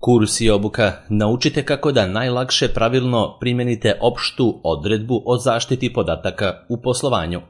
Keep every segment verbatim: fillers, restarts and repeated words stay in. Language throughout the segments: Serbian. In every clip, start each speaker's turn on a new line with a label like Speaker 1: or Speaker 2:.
Speaker 1: Kurs i obuka naučite kako da najlakše pravilno primenite opštu odredbu o zaštiti podataka u poslovanju.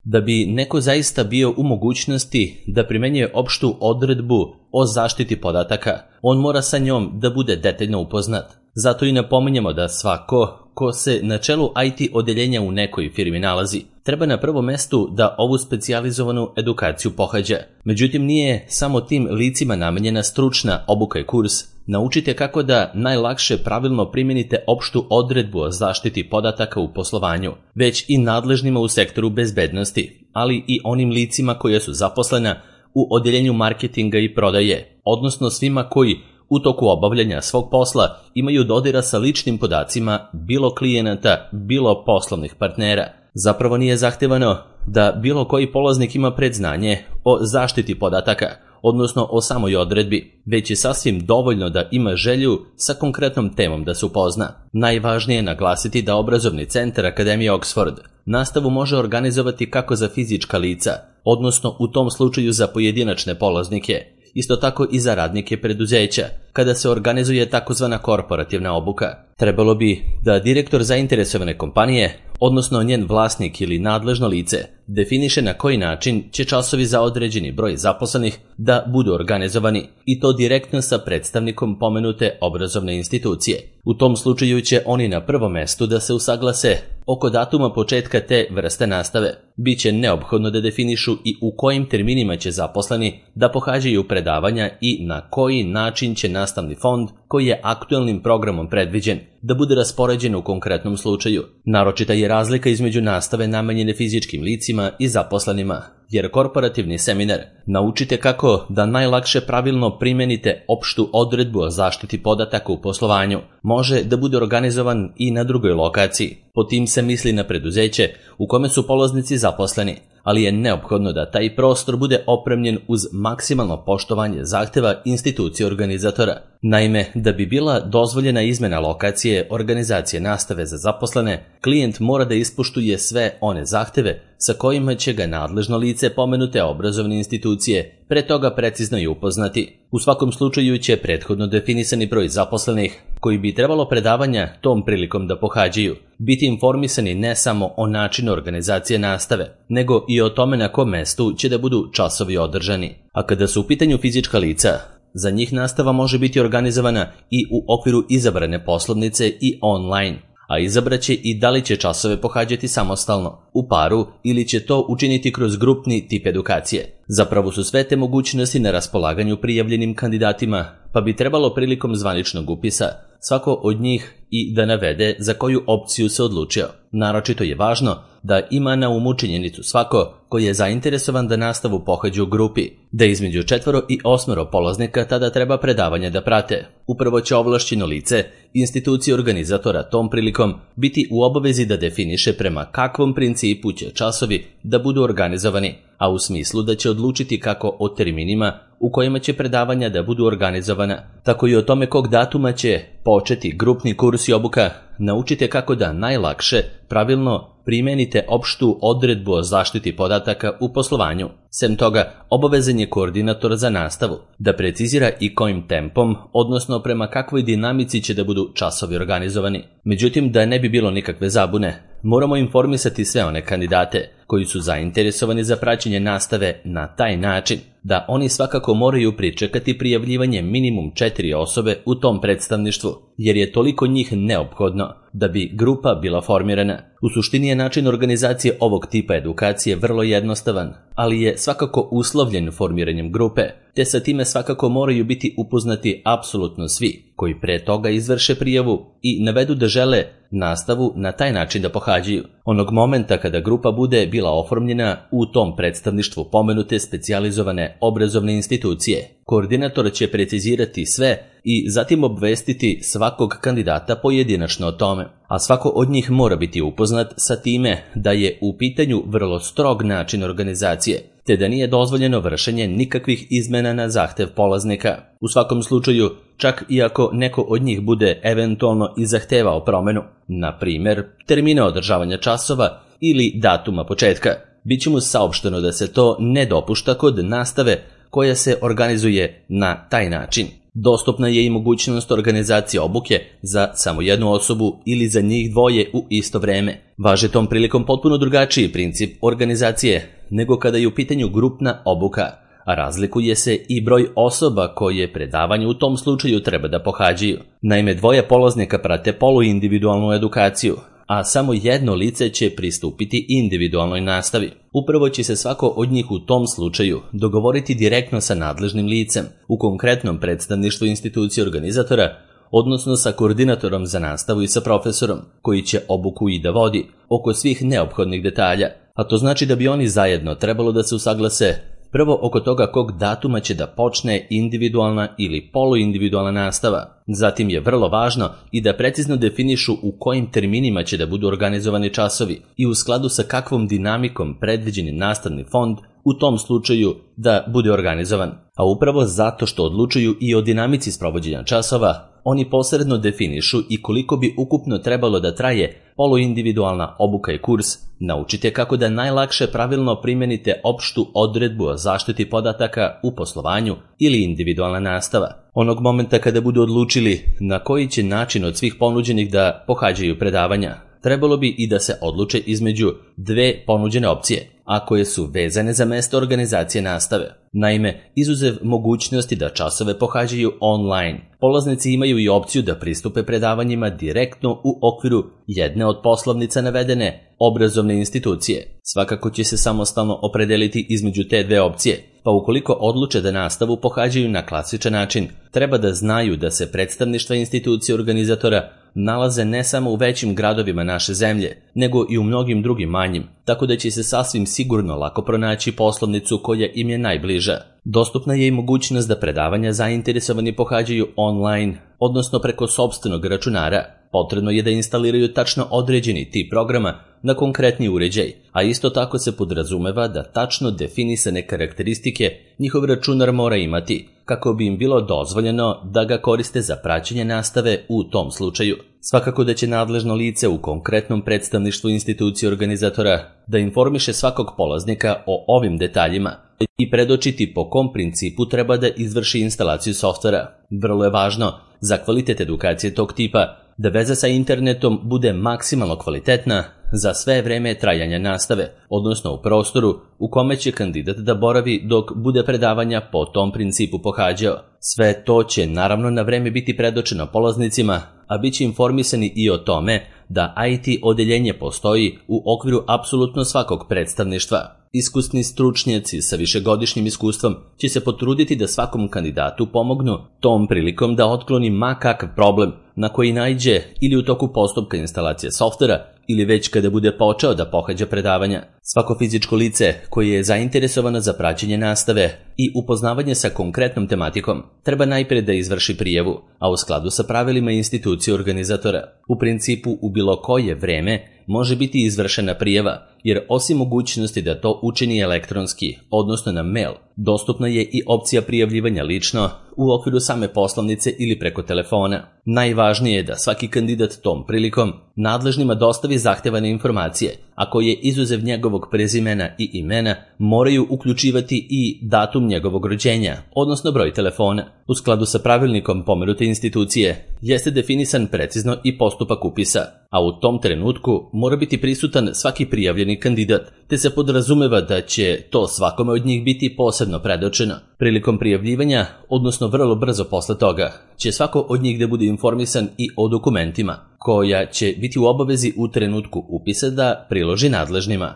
Speaker 1: Da bi neko zaista bio u mogućnosti da primenjuje opštu odredbu o zaštiti podataka, on mora sa njom da bude detaljno upoznat. Zato i napominjemo da svako ko se na čelu I T odeljenja u nekoj firmi nalazi, treba na prvom mestu da ovu specijalizovanu edukaciju pohađa. Međutim, nije samo tim licima namenjena stručna obuka i kurs. Naučite kako da najlakše pravilno primenite opštu odredbu o zaštiti podataka u poslovanju, već i nadležnima u sektoru bezbednosti, ali i onim licima koje su zaposlena u odeljenju marketinga i prodaje, odnosno svima koji u toku obavljanja svog posla imaju dodira sa ličnim podacima bilo klijenata, bilo poslovnih partnera. Zapravo nije zahtevano da bilo koji polaznik ima predznanje o zaštiti podataka, odnosno o samoj odredbi, već je sasvim dovoljno da ima želju sa konkretnom temom da se upozna. Najvažnije je naglasiti da obrazovni centar Akademije Oxford nastavu može organizovati kako za fizička lica, odnosno u tom slučaju za pojedinačne polaznike, isto tako i za radnike preduzeća, kada se organizuje takozvana korporativna obuka. Trebalo bi da direktor zainteresovane kompanije, odnosno njen vlasnik ili nadležno lice, definiše na koji način će časovi za određeni broj zaposlenih da budu organizovani, i to direktno sa predstavnikom pomenute obrazovne institucije. U tom slučaju će oni na prvom mestu da se usaglase oko datuma početka te vrste nastave. Biće neophodno da definišu i u kojim terminima će zaposleni da pohađaju predavanja i na koji način će nastavni fond, koji je aktuelnim programom predviđen, da bude raspoređen u konkretnom slučaju. Naročita je razlika između nastave namenjene fizičkim licima i zaposlenima, jer korporativni seminar naučite kako da najlakše pravilno primenite opštu odredbu o zaštiti podataka u poslovanju može da bude organizovan i na drugoj lokaciji. Po tim se misli na preduzeće u kome su polaznici zaposleni, ali je neophodno da taj prostor bude opremljen uz maksimalno poštovanje zahteva institucije organizatora. Naime, da bi bila dozvoljena izmena lokacije organizacije nastave za zaposlene, klijent mora da ispoštuje sve one zahteve sa kojima će ga nadležno lice pomenute obrazovne institucije pre toga precizno i upoznati. U svakom slučaju će prethodno definisani broj zaposlenih koji bi trebalo predavanja tom prilikom da pohađaju biti informisani ne samo o načinu organizacije nastave, nego i o tome na kom mestu će da budu časovi održani. A kada su u pitanju fizička lica, za njih nastava može biti organizovana i u okviru izabrane poslovnice i online, a izabraće i da li će časove pohađati samostalno, u paru ili će to učiniti kroz grupni tip edukacije. Zapravo su sve te mogućnosti na raspolaganju prijavljenim kandidatima, pa bi trebalo prilikom zvaničnog upisa svako od njih i da navede za koju opciju se odlučio. Naročito je važno da ima na umu činjenicu svako koji je zainteresovan da nastavu pohađa u grupi, da između četvoro i osmero polaznika tada treba predavanje da prate. Upravo će ovlašćeno lice institucije organizatora tom prilikom biti u obavezi da definiše prema kakvom principu će časovi da budu organizovani, a u smislu da će odlučiti kako o terminima u kojima će predavanja da budu organizovana, tako i o tome kog datuma će početi grupni kurs i obuka. Naučite kako da najlakše pravilno primenite opštu odredbu o zaštiti podataka u poslovanju. Sem toga, obavezan je koordinator za nastavu da precizira i kojim tempom, odnosno prema kakvoj dinamici će da budu časovi organizovani. Međutim, da ne bi bilo nikakve zabune, moramo informisati sve one kandidate koji su zainteresovani za praćenje nastave na taj način da oni svakako moraju pričekati prijavljivanje minimum četiri osobe u tom predstavništvu, jer je toliko njih neophodno da bi grupa bila formirana. U suštini je način organizacije ovog tipa edukacije vrlo jednostavan, ali je svakako uslovljen formiranjem grupe, te sa time svakako moraju biti upoznati apsolutno svi koji pre toga izvrše prijavu i navedu da žele nastavu na taj način da pohađaju. Onog momenta kada grupa bude bila oformljena u tom predstavništvu pomenute specijalizovane obrazovne institucije, koordinator će precizirati sve i zatim obvestiti svakog kandidata pojedinačno o tome, a svako od njih mora biti upoznat sa time da je u pitanju vrlo strog način organizacije, te da nije dozvoljeno vršenje nikakvih izmena na zahtev polaznika. U svakom slučaju, čak i ako neko od njih bude eventualno i zahtevao promenu, na primjer termina održavanja časova ili datuma početka, bit će mu saopšteno da se to ne dopušta kod nastave koja se organizuje na taj način. Dostupna je i mogućnost organizacije obuke za samo jednu osobu ili za njih dvoje u isto vreme. Važi tom prilikom potpuno drugačiji princip organizacije nego kada je u pitanju grupna obuka, a razlikuje se i broj osoba koje predavanje u tom slučaju treba da pohađaju. Naime, dvoje polaznika prate poluindividualnu edukaciju, a samo jedno lice će pristupiti individualnoj nastavi. Upravo će se svako od njih u tom slučaju dogovoriti direktno sa nadležnim licem, u konkretnom predstavništvu institucije organizatora, odnosno sa koordinatorom za nastavu i sa profesorom, koji će obuku i da vodi oko svih neophodnih detalja. A to znači da bi oni zajedno trebalo da se usaglase prvo oko toga kog datuma će da počne individualna ili poluindividualna nastava. Zatim je vrlo važno i da precizno definišu u kojim terminima će da budu organizovani časovi i u skladu sa kakvom dinamikom predviđeni nastavni fond u tom slučaju da bude organizovan. A upravo zato što odlučuju i o dinamici sprovođenja časova, oni posredno definišu i koliko bi ukupno trebalo da traje poluindividualna obuka i kurs. Naučite kako da najlakše pravilno primenite opštu odredbu o zaštiti podataka u poslovanju ili individualna nastava. Onog momenta kada budu odlučili na koji će način od svih ponuđenih da pohađaju predavanja, trebalo bi i da se odluče između dve ponuđene opcije, a koje su vezane za mesto organizacije nastave. Naime, izuzev mogućnosti da časove pohađaju online, polaznici imaju i opciju da pristupe predavanjima direktno u okviru jedne od poslovnica navedene obrazovne institucije. Svakako će se samostalno opredeliti između te dve opcije, pa ukoliko odluče da nastavu pohađaju na klasičan način, treba da znaju da se predstavništva institucije organizatora nalaze ne samo u većim gradovima naše zemlje, nego i u mnogim drugim manjim, tako da će se sasvim sigurno lako pronaći poslovnicu koja im je najbliža. Dostupna je i mogućnost da predavanja zainteresovani pohađaju online, odnosno preko sopstvenog računara. Potrebno je da instaliraju tačno određeni tip programa na konkretni uređaj, a isto tako se podrazumeva da tačno definisane karakteristike njihov računar mora imati, kako bi im bilo dozvoljeno da ga koriste za praćenje nastave u tom slučaju. Svakako da će nadležno lice u konkretnom predstavništvu institucije organizatora da informiše svakog polaznika o ovim detaljima i predočiti po kom principu treba da izvrši instalaciju softvera. Vrlo je važno za kvalitet edukacije tog tipa da veza sa internetom bude maksimalno kvalitetna za sve vreme trajanja nastave, odnosno u prostoru u kome će kandidat da boravi dok bude predavanja po tom principu pohađao. Sve to će naravno na vreme biti predočeno polaznicima, a bit će informisani i o tome da I T odeljenje postoji u okviru apsolutno svakog predstavništva. Iskusni stručnjaci sa višegodišnjim iskustvom će se potruditi da svakom kandidatu pomognu tom prilikom da otkloni ma kakav problem na koji naiđe ili u toku postupka instalacije softvera ili već kada bude počeo da pohađa predavanja. Svako fizičko lice koje je zainteresovano za praćenje nastave i upoznavanje sa konkretnom tematikom treba najpre da izvrši prijavu, a u skladu sa pravilima institucije organizatora. U principu u bilo koje vreme može biti izvršena prijava, jer osim mogućnosti da to učini elektronski, odnosno na mail, dostupna je i opcija prijavljivanja lično u okviru same poslovnice ili preko telefona. Najvažnije je da svaki kandidat tom prilikom nadležnima dostavi zahtevane informacije, a koje izuzev njegovog prezimena i imena moraju uključivati i datum njegovog rođenja, odnosno broj telefona. U skladu sa pravilnikom pomenute institucije jeste definisan precizno i postupak upisa, a u tom trenutku mora biti prisutan svaki prijavljeni kandidat, te se podrazumeva da će to svakome od njih biti posebno predočeno. Prilikom prijavljivanja, odnosno vrlo brzo posle toga, će svako od njih da bude informisan i o dokumentima, koja će biti u obavezi u trenutku upisa da priloži nadležnima.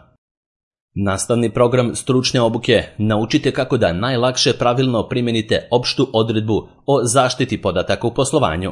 Speaker 1: Nastavni program stručne obuke naučite kako da najlakše pravilno primenite opštu odredbu o zaštiti podataka u poslovanju.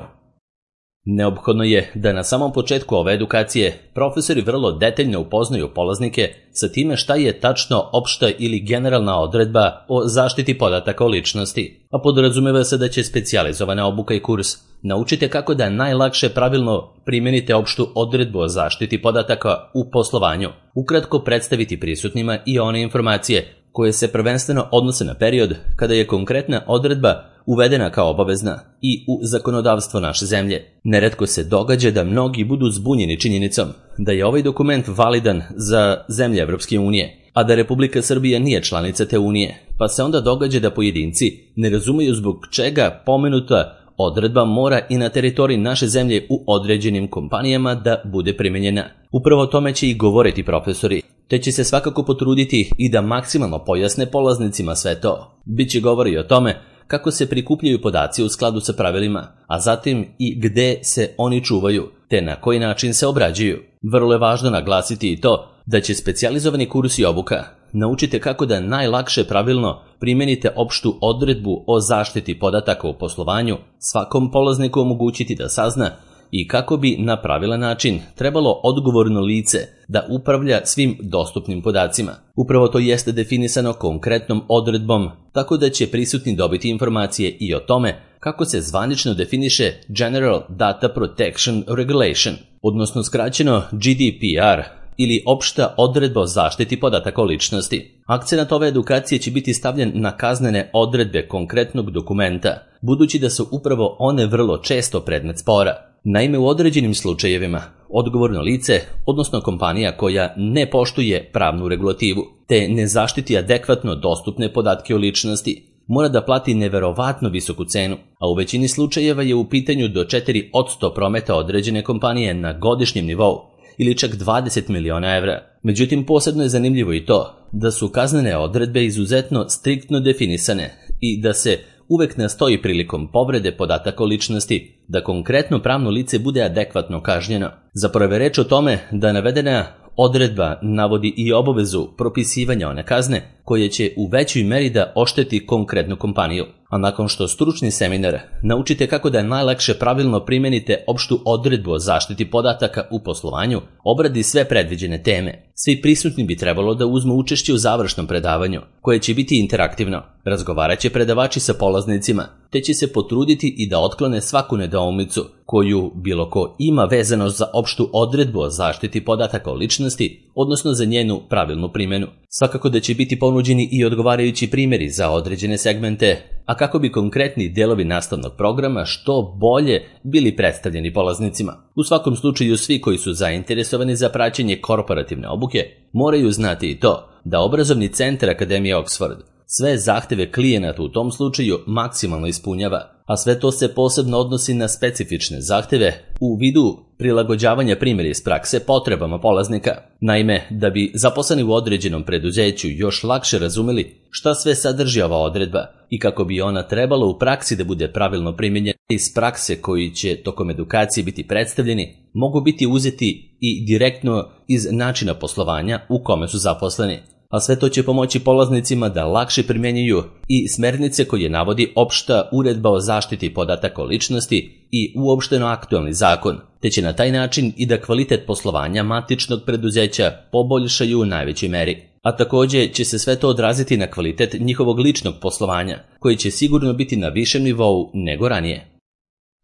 Speaker 1: Neophodno je da na samom početku ove edukacije profesori vrlo detaljno upoznaju polaznike sa time šta je tačno opšta ili generalna odredba o zaštiti podataka o ličnosti, a podrazumeva se da će specijalizovana obuka i kurs naučite kako da najlakše pravilno primenite opštu odredbu o zaštiti podataka u poslovanju, ukratko predstaviti prisutnima i one informacije koje se prvenstveno odnose na period kada je konkretna odredba uvedena kao obavezna i u zakonodavstvo naše zemlje. Neretko se događa da mnogi budu zbunjeni činjenicom da je ovaj dokument validan za zemlje Evropske unije, a da Republika Srbija nije članica te unije, pa se onda događa da pojedinci ne razumeju zbog čega pomenuta odredba mora i na teritoriji naše zemlje u određenim kompanijama da bude primenjena. Upravo o tome će i govoriti profesori, te će se svakako potruditi i da maksimalno pojasne polaznicima sve to. Biće govori o tome kako se prikupljaju podaci u skladu sa pravilima, a zatim i gde se oni čuvaju, te na koji način se obrađuju. Vrlo je važno naglasiti i to da će specijalizovani kurs i obuka naučite kako da najlakše pravilno primenite opštu odredbu o zaštiti podataka u poslovanju svakom polazniku omogućiti da sazna i kako bi na pravilan način trebalo odgovorno lice da upravlja svim dostupnim podacima. Upravo to jeste definisano konkretnom odredbom, tako da će prisutni dobiti informacije i o tome kako se zvanično definiše General Data Protection Regulation, odnosno skraćeno G D P R, ili opšta odredba o zaštiti podataka o ličnosti. Akcenat ove edukacije će biti stavljen na kaznene odredbe konkretnog dokumenta, budući da su upravo one vrlo često predmet spora. Naime, u određenim slučajevima odgovorno lice, odnosno kompanija koja ne poštuje pravnu regulativu, te ne zaštiti adekvatno dostupne podatke o ličnosti, mora da plati neverovatno visoku cenu, a u većini slučajeva je u pitanju do četiri posto prometa određene kompanije na godišnjem nivou, ili čak dvadeset miliona evra. Međutim, posebno je zanimljivo i to da su kaznene odredbe izuzetno striktno definisane i da se uvek nastoji prilikom povrede podataka o ličnosti da konkretno pravno lice bude adekvatno kažnjeno. Zapravo je reč o tome da navedena odredba navodi i obavezu propisivanja one kazne koje će u većoj meri da ošteti konkretnu kompaniju. A nakon što stručni seminar naučite kako da najlakše pravilno primenite opštu odredbu o zaštiti podataka u poslovanju, obradi sve predviđene teme. Svi prisutni bi trebalo da uzmu učešće u završnom predavanju, koje će biti interaktivno. Razgovarat će predavači sa polaznicima, te će se potruditi i da otklone svaku nedoumicu koju bilo ko ima vezano za opštu odredbu o zaštiti podataka o ličnosti, odnosno za njenu pravilnu primjenu. Svakako da će biti ponuđeni i odgovarajući primjeri za određene segmente, a kako bi konkretni delovi nastavnog programa što bolje bili predstavljeni polaznicima. U svakom slučaju svi koji su zainteresovani za praćenje korporativne obuke moraju znati i to da obrazovni centar Akademije Oxford sve zahteve klijenata u tom slučaju maksimalno ispunjava, a sve to se posebno odnosi na specifične zahteve u vidu prilagođavanja primjera iz prakse potrebama polaznika. Naime, da bi zaposleni u određenom preduzeću još lakše razumeli šta sve sadrži ova odredba i kako bi ona trebala u praksi da bude pravilno primijenjena iz prakse koji će tokom edukacije biti predstavljeni, mogu biti uzeti i direktno iz načina poslovanja u kome su zaposleni. A sve to će pomoći polaznicima da lakše primjenjuju i smernice koje navodi opšta uredba o zaštiti podataka o ličnosti i uopšteno aktualni zakon, te će na taj način i da kvalitet poslovanja matičnog preduzeća poboljšaju u najvećoj meri. A također će se sve to odraziti na kvalitet njihovog ličnog poslovanja, koji će sigurno biti na višem nivou nego ranije.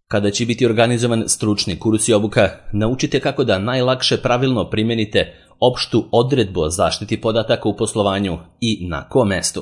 Speaker 1: Kada će biti organizovan stručni kurs i obuka, naučite kako da najlakše pravilno primenite opštu odredbu o zaštiti podataka u poslovanju i na kom mestu.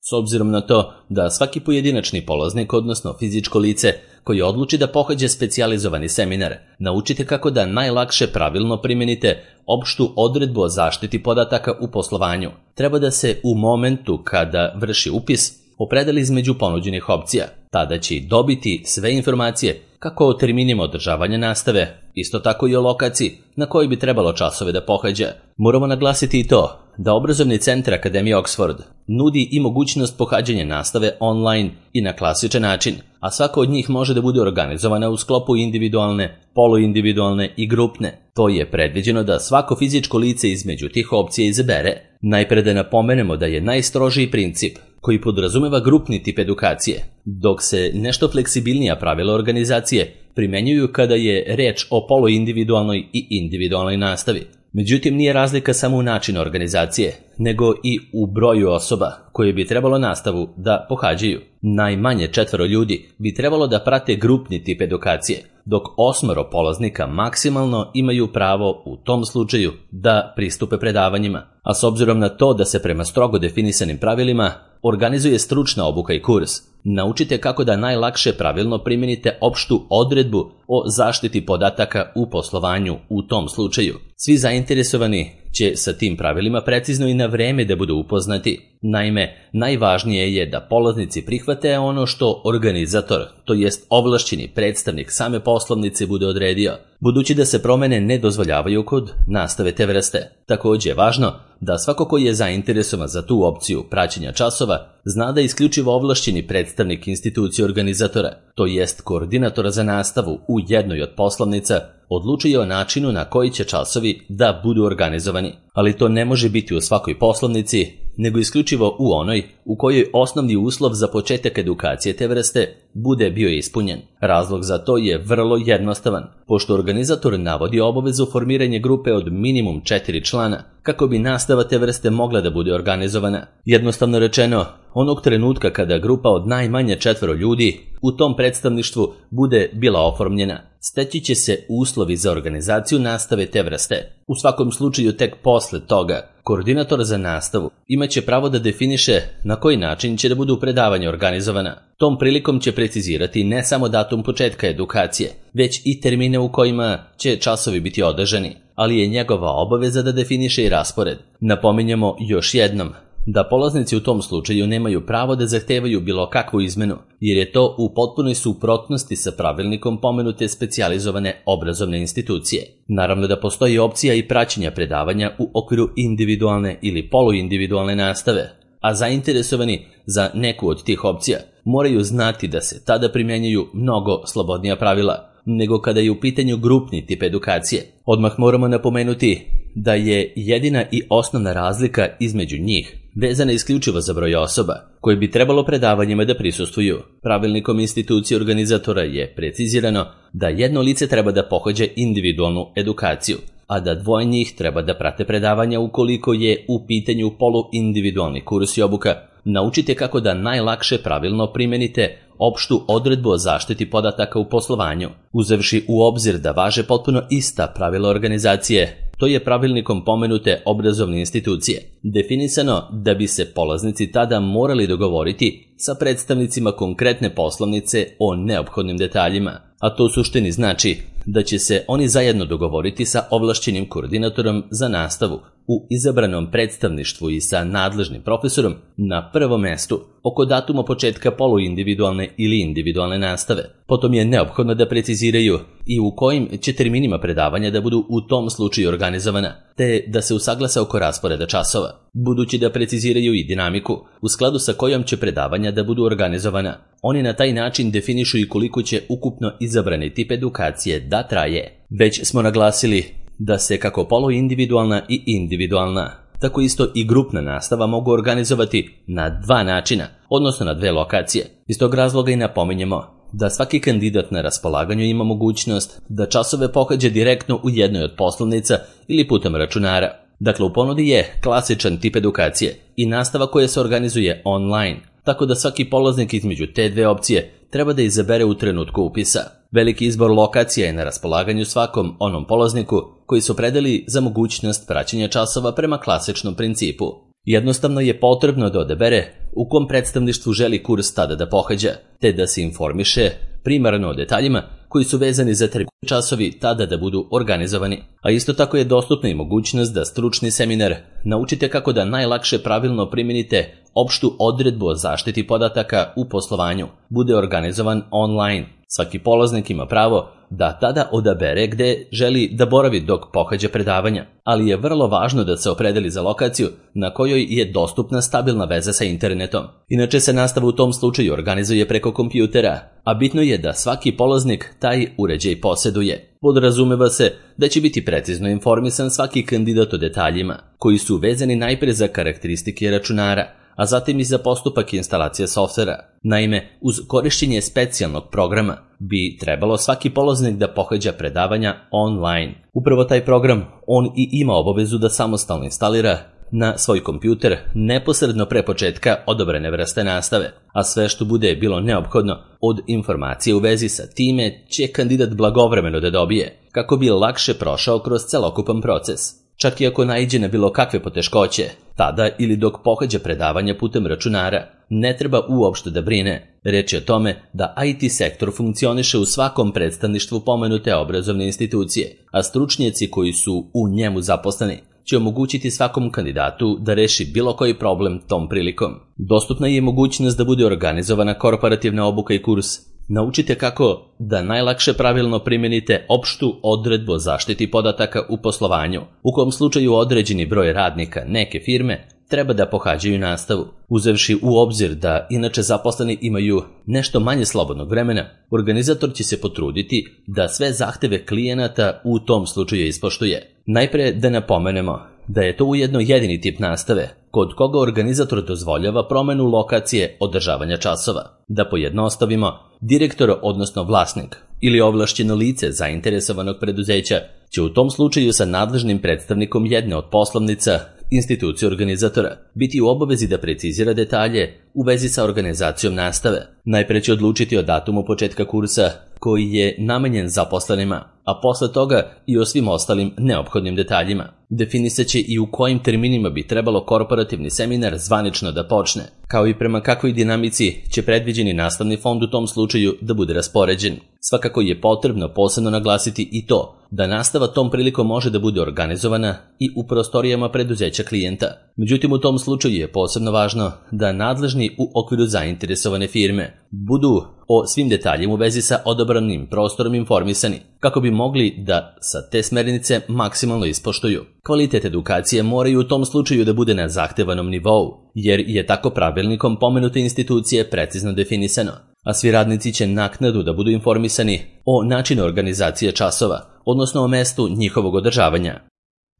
Speaker 1: S obzirom na to da svaki pojedinačni polaznik, odnosno fizičko lice koji odluči da pohađa specijalizovani seminar, naučite kako da najlakše pravilno primenite opštu odredbu o zaštiti podataka u poslovanju. Treba da se u momentu kada vrši upis opredeli između ponuđenih opcija. Tada će dobiti sve informacije kako o terminima održavanja nastave, isto tako i o lokaciji na kojoj bi trebalo časove da pohađa. Moramo naglasiti i to da obrazovni centar Akademije Oxford nudi i mogućnost pohađanja nastave online i na klasičan način, a svaka od njih može da bude organizovana u sklopu individualne, poluindividualne i grupne. To je predviđeno da svako fizičko lice između tih opcija izabere. Najpre da napomenemo da je najstrožiji princip koji podrazumeva grupni tip edukacije, dok se nešto fleksibilnija pravila organizacije primenjuju kada je reč o poluindividualnoj i individualnoj nastavi. Međutim, nije razlika samo u načinu organizacije, nego i u broju osoba koje bi trebalo nastavu da pohađaju. Najmanje četvoro ljudi bi trebalo da prate grupni tip edukacije, dok osmoro polaznika maksimalno imaju pravo u tom slučaju da pristupe predavanjima. A s obzirom na to da se prema strogo definisanim pravilima organizuje stručna obuka i kurs, naučite kako da najlakše pravilno primenite opštu odredbu o zaštiti podataka u poslovanju u tom slučaju. Svi zainteresovani će sa tim pravilima precizno i na vreme da budu upoznati. Naime, najvažnije je da polaznici prihvate ono što organizator, to jest ovlašćeni predstavnik same poslovnice bude odredio, budući da se promene ne dozvoljavaju kod nastave te vrste. Također je važno da svako ko je zainteresovan za tu opciju praćenja časova zna da isključivo ovlašćeni predstavnik institucije organizatora, to jest koordinatora za nastavu u jednoj od poslovnica, odlučuje o načinu na koji će časovi da budu organizovani, ali to ne može biti u svakoj poslovnici, nego isključivo u onoj u kojoj osnovni uslov za početak edukacije te vrste bude bio ispunjen. Razlog za to je vrlo jednostavan, pošto organizator navodi obavezu formiranja grupe od minimum četiri člana kako bi nastava te vrste mogla da bude organizovana. Jednostavno rečeno, onog trenutka kada grupa od najmanje četvero ljudi u tom predstavništvu bude bila oformljena, steći će se uslovi za organizaciju nastave te vrste. U svakom slučaju tek posle toga, koordinator za nastavu imaće pravo da definiše na koji način će da budu predavanja organizovana. Tom prilikom će precizirati ne samo datum početka edukacije, već i termine u kojima će časovi biti održani, ali je njegova obaveza da definiše i raspored. Napominjemo još jednom da polaznici u tom slučaju nemaju pravo da zahtevaju bilo kakvu izmenu, jer je to u potpunoj suprotnosti sa pravilnikom pomenute specijalizovane obrazovne institucije. Naravno da postoji opcija i praćenja predavanja u okviru individualne ili poluindividualne nastave, a zainteresovani za neku od tih opcija moraju znati da se tada primjenjuju mnogo slobodnija pravila nego kada je u pitanju grupni tip edukacije. Odmah moramo napomenuti da je jedina i osnovna razlika između njih vezana isključivo za broj osoba koje bi trebalo predavanjima da prisustvuju. Pravilnikom institucije organizatora je precizirano da jedno lice treba da pohađa individualnu edukaciju, a da dvoje njih treba da prate predavanja ukoliko je u pitanju poluindividualni kurs i obuka. Naučite kako da najlakše pravilno primenite opštu odredbu o zaštiti podataka u poslovanju, uzevši u obzir da važe potpuno ista pravila organizacije. To je pravilnikom pomenute obrazovne institucije definisano da bi se polaznici tada morali dogovoriti sa predstavnicima konkretne poslovnice o neophodnim detaljima, a to u suštini znači da će se oni zajedno dogovoriti sa ovlašćenim koordinatorom za nastavu u izabranom predstavništvu i sa nadležnim profesorom na prvom mestu oko datuma početka poluindividualne ili individualne nastave. Potom je neophodno da preciziraju i u kojim će terminima predavanja da budu u tom slučaju organizovana, te da se usaglase oko rasporeda časova, budući da preciziraju i dinamiku u skladu sa kojom će predavanja da budu organizovana. Oni na taj način definišu i koliko će ukupno izabrani tip edukacije da traje. Već smo naglasili da se kako poluindividualna i individualna, tako isto i grupna nastava mogu organizovati na dva načina, odnosno na dve lokacije. Iz tog razloga i napominjemo da svaki kandidat na raspolaganju ima mogućnost da časove pohađa direktno u jednoj od poslovnica ili putem računara. Dakle, u ponudi je klasičan tip edukacije i nastava koja se organizuje online, tako da svaki polaznik između te dve opcije treba da izabere u trenutku upisa. Veliki izbor lokacija je na raspolaganju svakom onom polazniku koji su predali za mogućnost praćenja časova prema klasičnom principu. Jednostavno je potrebno da odabere u kom predstavništvu želi kurs tada da pohađa, te da se informiše primarno o detaljima koji su vezani za termin časovi tada da budu organizovani. A isto tako je dostupna i mogućnost da stručni seminar naučite kako da najlakše pravilno primenite opštu odredbu o zaštiti podataka u poslovanju bude organizovan online. Svaki polaznik ima pravo da tada odabere gde želi da boravi dok pohađa predavanja, ali je vrlo važno da se opredeli za lokaciju na kojoj je dostupna stabilna veza sa internetom. Inače se nastava u tom slučaju organizuje preko kompjutera, a bitno je da svaki polaznik taj uređaj poseduje. Podrazumeva se da će biti precizno informisan svaki kandidat o detaljima, koji su vezani najpre za karakteristike računara, a zatim i za postupak instalacije softvera. Naime, uz korišćenje specijalnog programa bi trebalo svaki polaznik da pohađa predavanja online. Upravo taj program on i ima obavezu da samostalno instalira na svoj kompjuter neposredno pre početka odobrene vrste nastave, a sve što bude bilo neophodno od informacije u vezi sa time će kandidat blagovremeno da dobije, kako bi lakše prošao kroz celokupan proces. Čak i ako naiđe na bilo kakve poteškoće, tada ili dok pohađa predavanja putem računara, ne treba uopšte da brine. Reč je o tome da I T sektor funkcioniše u svakom predstavništvu pomenute obrazovne institucije, a stručnjaci koji su u njemu zaposleni će omogućiti svakom kandidatu da reši bilo koji problem tom prilikom. Dostupna je mogućnost da bude organizovana korporativna obuka i kurs. Naučite kako da najlakše pravilno primenite opštu odredbu o zaštiti podataka u poslovanju, u kom slučaju određeni broj radnika neke firme treba da pohađaju nastavu. Uzevši u obzir da inače zaposleni imaju nešto manje slobodnog vremena, organizator će se potruditi da sve zahteve klijenata u tom slučaju ispoštuje. Najpre da napomenemo da je to ujedno jedini tip nastave kod koga organizator dozvoljava promenu lokacije održavanja časova. Da pojednostavimo, direktor, odnosno vlasnik ili ovlašćeno lice zainteresovanog preduzeća će u tom slučaju sa nadležnim predstavnikom jedne od poslovnica institucije organizatora biti u obavezi da precizira detalje u vezi sa organizacijom nastave. Najpre će odlučiti o datumu početka kursa koji je namenjen zaposlenima, a posle toga i o svim ostalim neophodnim detaljima. Definisat će i u kojim terminima bi trebalo korporativni seminar zvanično da počne, kao i prema kakvoj dinamici će predviđeni nastavni fond u tom slučaju da bude raspoređen. Svakako je potrebno posebno naglasiti i to da nastava tom prilikom može da bude organizovana i u prostorijama preduzeća klijenta. Međutim, u tom slučaju je posebno važno da nadležni u okviru zainteresovane firme budu o svim detaljima u vezi sa odabranim prostorom informisani, kako bi mogli da sa te smernice maksimalno ispoštuju. Kvalitet edukacije mora i u tom slučaju da bude na zahtevanom nivou, jer je tako pravilnikom pomenute institucije precizno definisano, a svi radnici će naknadu da budu informisani o načinu organizacije časova, odnosno o mestu njihovog održavanja.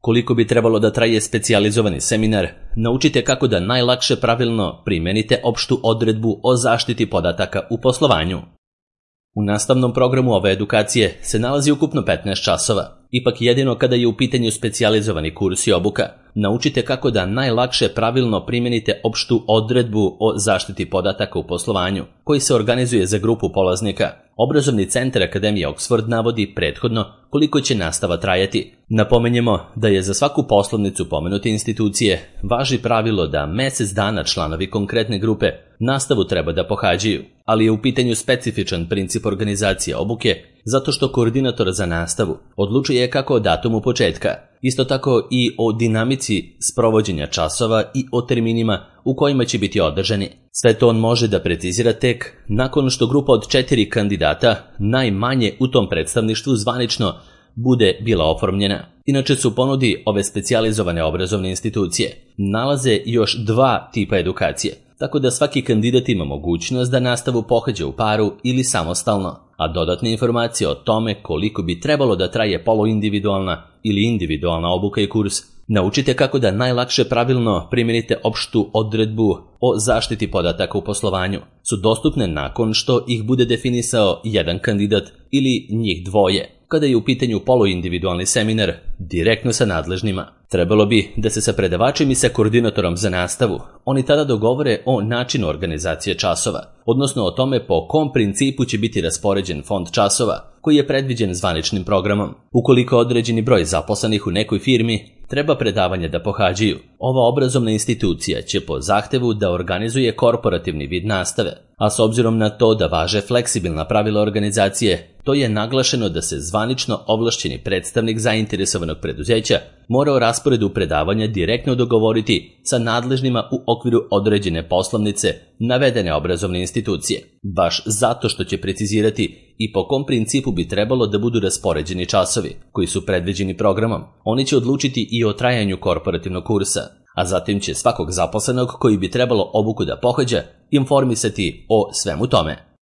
Speaker 1: Koliko bi trebalo da traje specijalizovani seminar, naučite kako da najlakše pravilno primenite opštu odredbu o zaštiti podataka u poslovanju. U nastavnom programu ove edukacije se nalazi ukupno petnaest časova. Ipak jedino kada je u pitanju specijalizovani kurs i obuka, naučite kako da najlakše pravilno primenite opštu odredbu o zaštiti podataka u poslovanju, koji se organizuje za grupu polaznika. Obrazovni centar Akademije Oxford navodi prethodno koliko će nastava trajati. Napomenjemo da je za svaku poslovnicu pomenute institucije važi pravilo da mesec dana članovi konkretne grupe nastavu treba da pohađaju, ali je u pitanju specifičan princip organizacije obuke zato što koordinator za nastavu odlučuje kako o datumu početka, isto tako i o dinamici sprovođenja časova i o terminima u kojima će biti održani. Sve to on može da precizira tek nakon što grupa od četiri kandidata, najmanje u tom predstavništvu zvanično, bude bila oformljena. Inače su u ponudi ove specijalizovane obrazovne institucije nalaze još dva tipa edukacije, tako da svaki kandidat ima mogućnost da nastavu pohađa u paru ili samostalno, a dodatne informacije o tome koliko bi trebalo da traje poluindividualna ili individualna obuka i kurs, naučite kako da najlakše pravilno primenite opštu odredbu o zaštiti podataka u poslovanju, su dostupne nakon što ih bude definisao jedan kandidat ili njih dvoje, kada je u pitanju poluindividualni seminar direktno sa nadležnima. Trebalo bi da se sa predavačem i sa koordinatorom za nastavu oni tada dogovore o načinu organizacije časova, odnosno o tome po kom principu će biti raspoređen fond časova koji je predviđen zvaničnim programom. Ukoliko određeni broj zaposlenih u nekoj firmi treba predavanje da pohađaju, ova obrazovna institucija će po zahtevu da organizuje korporativni vid nastave, a s obzirom na to da važe fleksibilna pravila organizacije, to je naglašeno da se zvanično ovlašćeni predstavnik zainteresovanog preduzeća mora o rasporedu predavanja direktno dogovoriti sa nadležnima u okviru određene poslovnice navedene obrazovne institucije, baš zato što će precizirati i po kom principu bi trebalo da budu raspoređeni časovi koji su predviđeni programom. Oni će odlučiti i o trajanju korporativnog kursa, a zatim će svakog zaposlenog koji bi trebalo obuku da pohađa informisati o svemu tome.